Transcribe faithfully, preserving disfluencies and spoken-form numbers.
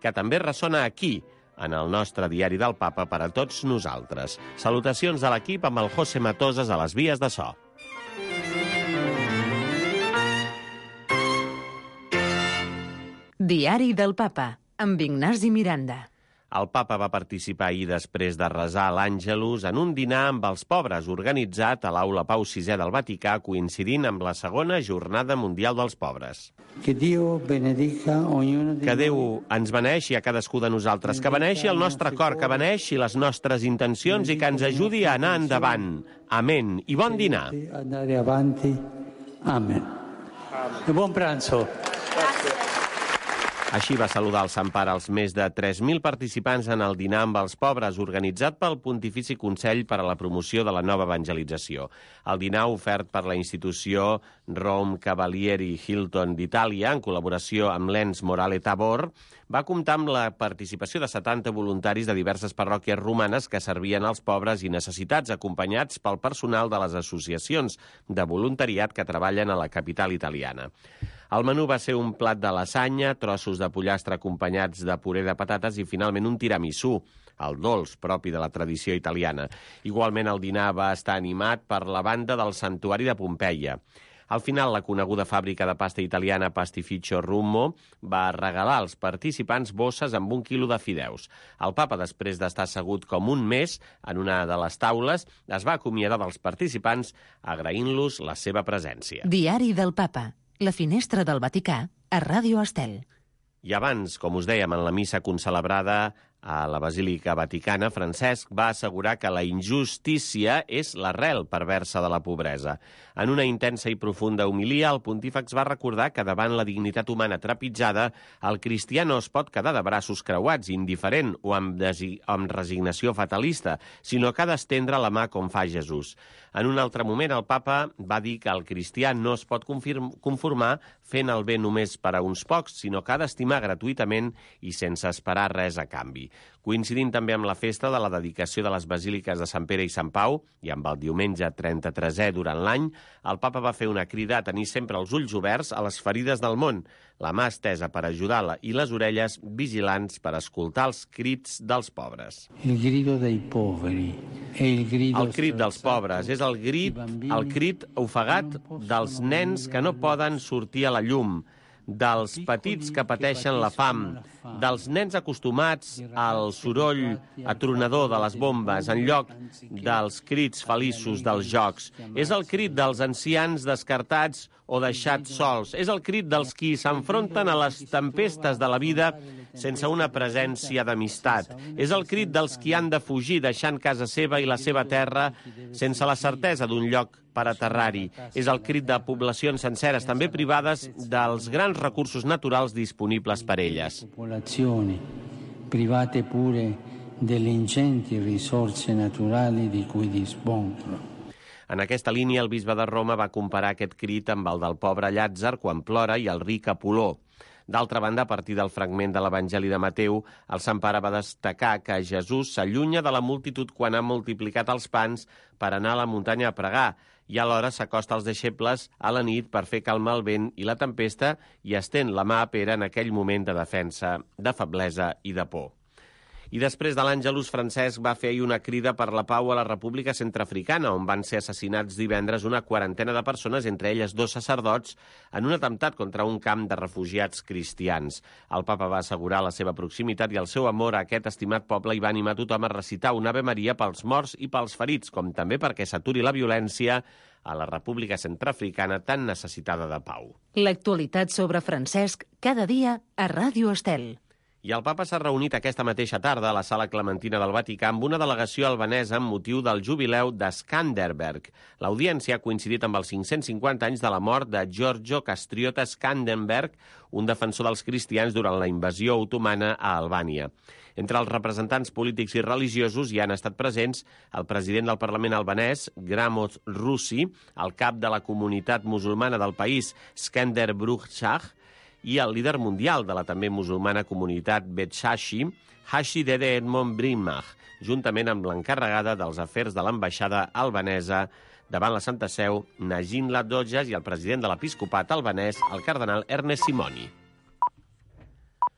que també ressona aquí, en el nostre diari del Papa per a tots nosaltres. Salutacions de l'equip amb el José Matoses a les vies de so. Diari del Papa, amb Ignasi Miranda. El papa va participar ahir després de resar l'Àngelus en un dinar amb els pobres organitzat a l'Aula Pau sisè del Vaticà, coincidint amb la segona Jornada Mundial dels Pobres. Que Déu benedica ognuno di Que Déu ens beneixi a cadascú de nosaltres, que beneixi el nostre cor, que beneixi les nostres intencions i que ens ajudi a anar endavant. Amén. I bon dinar. Andare avanti. Amen. E buon pranzo. Així va saludar el Sant Pare als més de tres mil participants en el dinar amb els pobres organitzat pel Pontifici Consell per a la Promoció de la Nova Evangelització. El dinar ofert per la institució Rome Cavalieri Hilton d'Itàlia, en col·laboració amb l'Ens Morale Tabor, va comptar amb la participació de setanta voluntaris de diverses parròquies romanes que servien als pobres i necessitats, acompanyats pel personal de les associacions de voluntariat que treballen a la capital italiana. El menú va ser un plat de lasanya, trossos de pollastre acompanyats de puré de patates i finalment un tiramisú, el dolç propi de la tradició italiana. Igualment el dinar va estar animat per la banda del Santuari de Pompeia. Al final, la coneguda fàbrica de pasta italiana Pastificio Rummo va regalar als participants bosses amb un quilo de fideus. El papa, després d'estar assegut com un mes en una de les taules, es va acomiadar dels participants agraint-los la seva presència. Diari del Papa, la finestra del Vaticà, a Ràdio Estel. I abans, com us dèiem, en la missa concelebrada a la Basílica Vaticana, Francesc va assegurar que la injustícia és l'arrel perversa de la pobresa. En una intensa i profunda homilia, el pontífex va recordar que davant la dignitat humana trepitjada, el cristià no es pot quedar de braços creuats, indiferent o amb, amb resignació fatalista, sinó que ha d'estendre la mà com fa Jesús. En un altre moment, el papa va dir que el cristià no es pot conformar fent el bé només per a uns pocs, sinó que ha d'estimar gratuïtament i sense esperar res a canvi. Coincidint també amb la festa de la dedicació de les basíliques de Sant Pere i Sant Pau i amb el diumenge trenta-tresè durant l'any, el papa va fer una crida a tenir sempre els ulls oberts a les ferides del món, la mà estesa per ajudar-la i les orelles vigilants per escoltar els crits dels pobres. Il grido dei poveri e il grido El crit dels pobres és el crit, el crit ofegat dels nens que no poden sortir a la llum, dels petits que pateixen la fam, dels nens acostumats al soroll atronador de les bombes en lloc dels crits feliços dels jocs. És el crit dels ancians descartats o deixats sols. És el crit dels qui s'enfronten a les tempestes de la vida sense una presència d'amistat. És el crit dels qui han de fugir deixant casa seva i la seva terra sense la certesa d'un lloc per aterrar-hi. És el crit de poblacions senceres, també privades dels grans recursos naturals disponibles per elles. Popolazioni private pure delle ingenti risorse naturali di cui dispongono. En aquesta línia, el bisbe de Roma va comparar aquest crit amb el del pobre Llàtzer quan plora i el ric Apoló. D'altra banda, a partir del fragment de l'Evangeli de Mateu, el Sant Pare va destacar que Jesús s'allunya de la multitud quan ha multiplicat els pans per anar a la muntanya a pregar i alhora s'acosta als deixebles a la nit per fer calmar el vent i la tempesta i estén la mà a Pere en aquell moment de defensa, de feblesa i de por. I després de l'Àngelus, Francesc va fer ahir una crida per la pau a la República Centreafricana, on van ser assassinats divendres una quarantena de persones, entre elles dos sacerdots, en un atemptat contra un camp de refugiats cristians. El papa va assegurar la seva proximitat i el seu amor a aquest estimat poble i va animar tothom a recitar un Ave Maria pels morts i pels ferits, com també perquè s'aturi la violència a la República Centreafricana tan necessitada de pau. L'actualitat sobre Francesc, cada dia a Ràdio Estel. I el papa s'ha reunit aquesta mateixa tarda a la Sala Clementina del Vaticà amb una delegació albanesa amb motiu del jubileu de Skanderberg. L'audiència ha coincidit amb els cinc-cents cinquanta anys de la mort de Giorgio Castriota Skanderberg, un defensor dels cristians durant la invasió otomana a Albània. Entre els representants polítics i religiosos hi han estat presents el president del Parlament albanès, Gramos Russi, el cap de la comunitat musulmana del país, Skender Bruhshah, i el líder mundial de la també musulmana comunitat Betxashi, Hashi Dede Edmond Brimach, juntament amb l'encarregada dels afers de l'ambaixada albanesa davant la Santa Seu, Najin Ladojas, i el president de l'episcopat albanès, el cardenal Ernest Simoni.